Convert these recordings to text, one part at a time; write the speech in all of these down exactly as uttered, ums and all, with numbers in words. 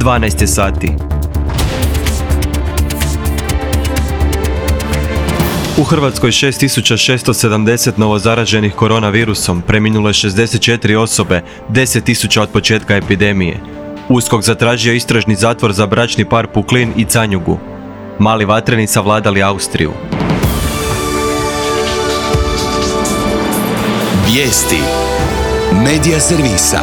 dvanaest je sati. U Hrvatskoj šest tisuća šesto sedamdeset novozaraženih koronavirusom, preminulo je šezdeset četiri osobe, deset tisuća od početka epidemije. USKOK zatražio istražni zatvor za bračni par Puklin i Canjugu. Mali vatreni savladali Austriju. Vijesti Medija servisa.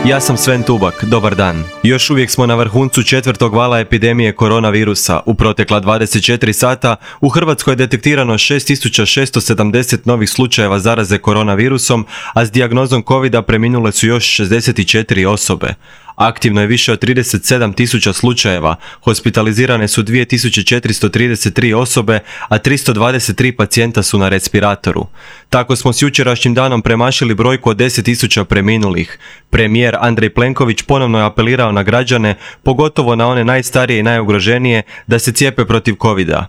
Ja sam Sven Tubak, dobar dan. Još uvijek smo na vrhuncu četvrtog vala epidemije koronavirusa. U protekla dvadeset četiri sata u Hrvatskoj je detektirano šest tisuća šesto sedamdeset novih slučajeva zaraze koronavirusom, a s dijagnozom covida preminule su još šezdeset četiri osobe. Aktivno je više od trideset sedam tisuća slučajeva, hospitalizirane su dvije tisuće četiristo trideset tri osobe, a tristo dvadeset tri pacijenta su na respiratoru. Tako smo s jučerašnjim danom premašili brojku od deset tisuća preminulih. Premijer Andrej Plenković ponovno je apelirao na građane, pogotovo na one najstarije i najugroženije, da se cijepe protiv covida.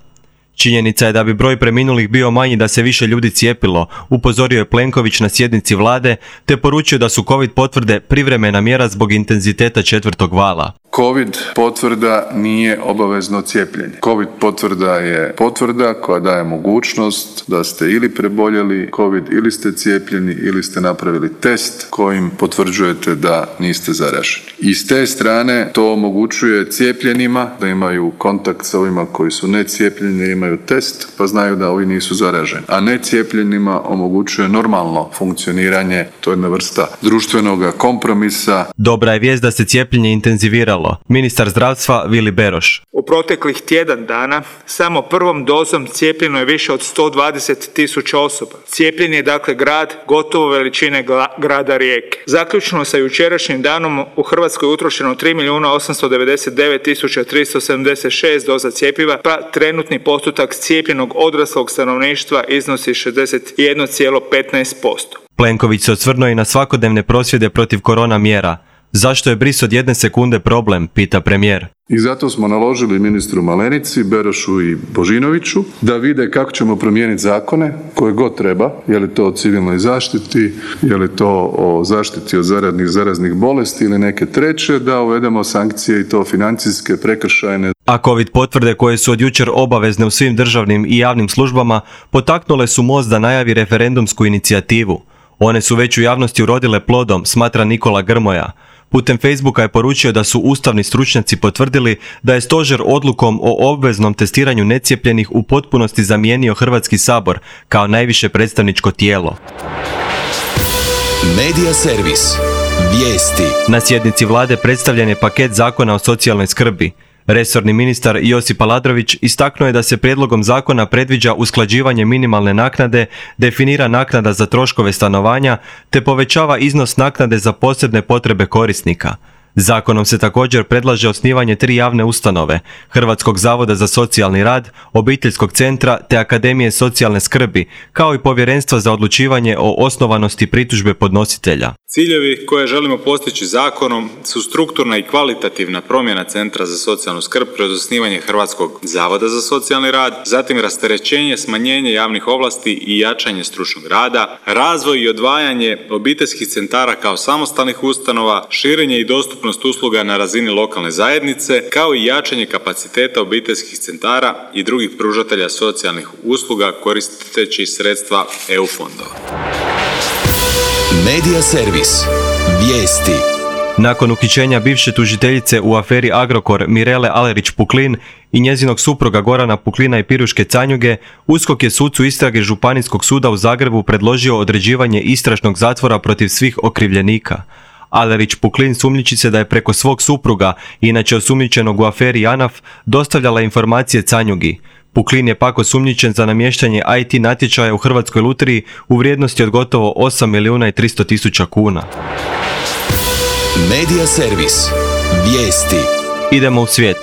Činjenica je da bi broj preminulih bio manji da se više ljudi cijepilo, upozorio je Plenković na sjednici vlade, te poručio da su covid potvrde privremena mjera zbog intenziteta četvrtog vala. Covid potvrda nije obavezno cijepljenje. Covid potvrda je potvrda koja daje mogućnost da ste ili preboljeli Covid ili ste cijepljeni ili ste napravili test kojim potvrđujete da niste zaraženi. I s te strane to omogućuje cijepljenima da imaju kontakt sa ovima koji su necijepljeni jer imaju test pa znaju da ovi nisu zaraženi. A necijepljenima omogućuje normalno funkcioniranje, to je jedna vrsta društvenog kompromisa. Dobra je vijest da se cijepljenje intenziviralo. Ministar zdravstva Vili Beroš. U proteklih tjedan dana samo prvom dozom cijepljeno je više od sto dvadeset tisuća osoba. Cijepljen je dakle grad gotovo veličine grada Rijeke. Zaključno sa jučerašnjim danom u Hrvatskoj je utrošeno tri milijuna osamsto devedeset devet tisuća tristo sedamdeset šest doza cjepiva, pa trenutni postotak cijepljenog odraslog stanovništva iznosi šezdeset jedan zarez petnaest posto. Plenković se osvrnuo i na svakodnevne prosvjede protiv korona mjera. Zašto je bris od jedne sekunde problem, pita premijer. I zato smo naložili ministru Malenici, Berošu i Božinoviću da vide kako ćemo promijeniti zakone koje god treba, je li to o civilnoj zaštiti, je li to o zaštiti od zaraznih, zaraznih bolesti ili neke treće, da uvedemo sankcije i to financijske, prekršajne. A covid potvrde koje su od jučer obavezne u svim državnim i javnim službama potaknule su MOST da najavi referendumsku inicijativu. One su već u javnosti urodile plodom, smatra Nikola Grmoja. Putem Facebooka je poručio da su ustavni stručnjaci potvrdili da je stožer odlukom o obveznom testiranju necijepljenih u potpunosti zamijenio Hrvatski sabor kao najviše predstavničko tijelo. Medija servis. Vijesti. Na sjednici vlade predstavljen je paket zakona o socijalnoj skrbi. Resorni ministar Josip Aladrović istaknuo je da se prijedlogom zakona predviđa usklađivanje minimalne naknade, definira naknada za troškove stanovanja, te povećava iznos naknade za posebne potrebe korisnika. Zakonom se također predlaže osnivanje tri javne ustanove, Hrvatskog zavoda za socijalni rad, Obiteljskog centra te Akademije socijalne skrbi, kao i Povjerenstva za odlučivanje o osnovanosti pritužbe podnositelja. Ciljevi koje želimo postići zakonom su strukturna i kvalitativna promjena Centra za socijalnu skrb kroz osnivanje Hrvatskog zavoda za socijalni rad, zatim rasterećenje, smanjenje javnih ovlasti i jačanje stručnog rada, razvoj i odvajanje obiteljskih centara kao samostalnih ustanova, širenje i dostupnost usluga na razini lokalne zajednice, kao i jačanje kapaciteta obiteljskih centara i drugih pružatelja socijalnih usluga koristeći sredstva E U fondova. Medija servis. Vijesti. Nakon uhićenja bivše tužiteljice u aferi Agrokor Mirele Alerić Puklin i njezinog supruga Gorana Puklina i Piruške Canjuge, USKOK je sucu istrage Županijskog suda u Zagrebu predložio određivanje istražnog zatvora protiv svih okrivljenika. Alerić Puklin sumnjiči se da je preko svog supruga, inače osumnjičenog u aferi JANAF, dostavljala informacije Canjugi. Puklin je pak osumnjičen za namještanje I T natječaja u Hrvatskoj lutriji u vrijednosti od gotovo osam milijuna i tristo tisuća kuna. Medija servis. Vijesti. Idemo u svijet.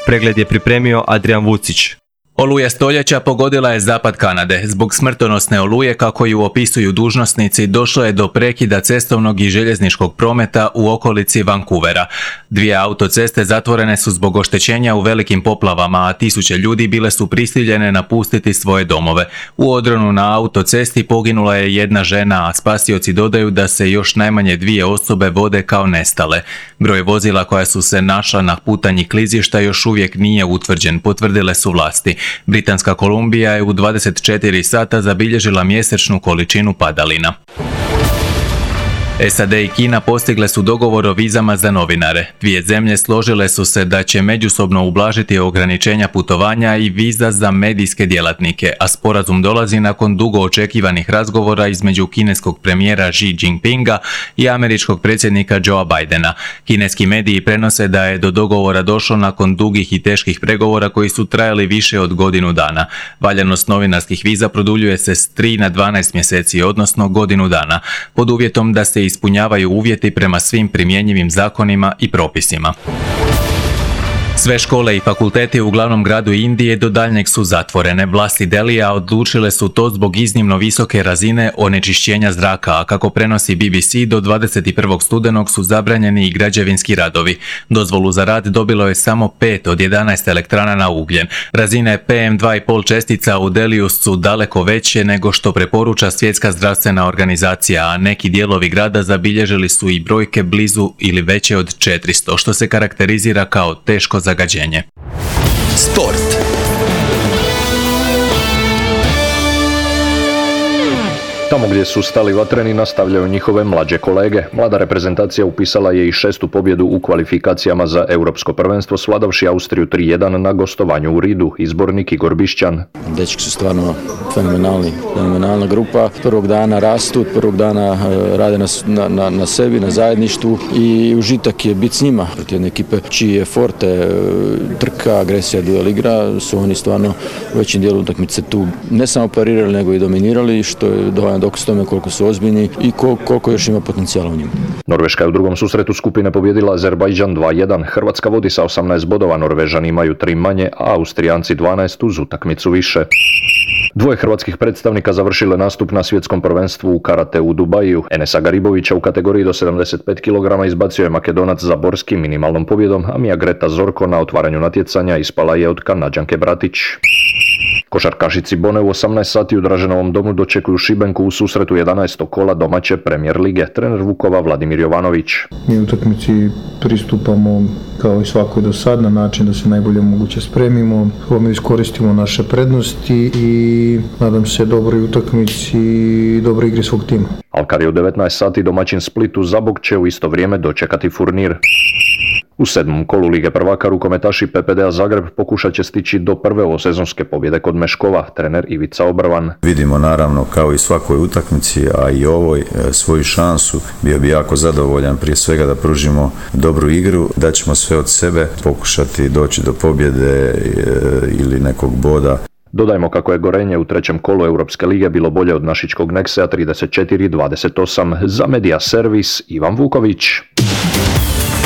Pregled je pripremio Adrian Vucić. Oluja stoljeća pogodila je zapad Kanade. Zbog smrtonosne oluje, kako ju opisuju dužnosnici, došlo je do prekida cestovnog i željezničkog prometa u okolici Vancouvera. Dvije autoceste zatvorene su zbog oštećenja u velikim poplavama, a tisuće ljudi bile su prisiljene napustiti svoje domove. U odronu na autocesti poginula je jedna žena, a spasioci dodaju da se još najmanje dvije osobe vode kao nestale. Broj vozila koja su se našla na putanji klizišta još uvijek nije utvrđen, potvrdile su vlasti. Britanska Kolumbija je u dvadeset četiri sata zabilježila mjesečnu količinu padalina. S A D i Kina postigle su dogovor o vizama za novinare. Dvije zemlje složile su se da će međusobno ublažiti ograničenja putovanja i viza za medijske djelatnike, a sporazum dolazi nakon dugo očekivanih razgovora između kineskog premijera Xi Jinpinga i američkog predsjednika Joea Bidena. Kineski mediji prenose da je do dogovora došlo nakon dugih i teških pregovora koji su trajali više od godinu dana. Valjanost novinarskih viza produljuje se s tri na dvanaest mjeseci, odnosno godinu dana, pod uvjetom da se ispunjavaju uvjeti prema svim primjenjivim zakonima i propisima. Sve škole i fakulteti u glavnom gradu Indije do daljnjeg su zatvorene. Vlasti Delija odlučile su to zbog iznimno visoke razine onečišćenja zraka, a kako prenosi B B C, do dvadeset prvog studenog su zabranjeni i građevinski radovi. Dozvolu za rad dobilo je samo pet od jedanaest elektrana na ugljen. Razine P M dva i pol čestica u Deliju su daleko veće nego što preporuča Svjetska zdravstvena organizacija, a neki dijelovi grada zabilježili su i brojke blizu ili veće od četiristo, što se karakterizira kao teško zagađenje. Sport. Tamo gdje su stali vatreni nastavljaju njihove mlađe kolege. Mlada reprezentacija upisala je i šestu pobjedu u kvalifikacijama za Europsko prvenstvo, svladavši Austriju tri jedan na gostovanju u Ridu. Izbornik Igor Bišćan. Dečki su stvarno fenomenalni, fenomenalna grupa. Prvog dana rastu, prvog dana rade na, na, na sebi, na zajedništvu i užitak je biti s njima. Protiv jedne ekipe čiji je forte, trka, agresija, duel igra, su oni stvarno u većim dijelu utakmice tu ne samo parirali, nego i dominirali, što je dovoljno dokaz tome koliko su ozbiljni i koliko još ima potencijala u njima. Norveška je u drugom susretu skupine pobjedila Azerbajdžan dva jedan. Hrvatska vodi sa osamnaest bodova, Norvežani imaju tri manje, a Austrijanci dvanaest uz utakmicu više. Dvoje hrvatskih predstavnika završile nastup na svjetskom prvenstvu u karate u Dubaju. Enesa Garibovića u kategoriji do sedamdeset pet kilograma izbacio je Makedonac Zaborski minimalnom pobjedom, a Mija Greta Zorko na otvaranju natjecanja ispala je od Kanađanke Bratić. Košarkašici Bone u osamnaest sati u Draženovom domu dočekuju Šibenku u susretu jedanaestog kola domaće Premijer lige. Trener Vukova Vladimir Jovanović. Mi utakmici pristupamo kao i svakoj do sad na način da se najbolje moguće spremimo, mi iskoristimo naše prednosti i nadam se dobroj utakmici i dobroj igri svog tima. Alkar je u devetnaest sati domaćin Splitu Zabog će u isto vrijeme dočekati Furnir. U sedmom kolu Lige prvaka rukometaši P P D A Zagreb pokušat će stići do prve ovosezonske pobjede kod Meškova, trener Ivica Obrvan. Vidimo naravno kao i svakoj utakmici, a i ovoj svoju šansu. Bio bi jako zadovoljan prije svega da pružimo dobru igru, da ćemo sve od sebe pokušati doći do pobjede ili nekog boda. Dodajmo kako je Gorenje u trećem kolu Europske lige bilo bolje od našičkog Neksea trideset četiri dvadeset osam. Za Medija Servis Ivan Vuković.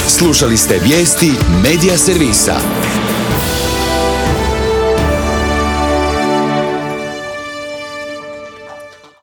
Slušali ste vijesti Medija Servisa.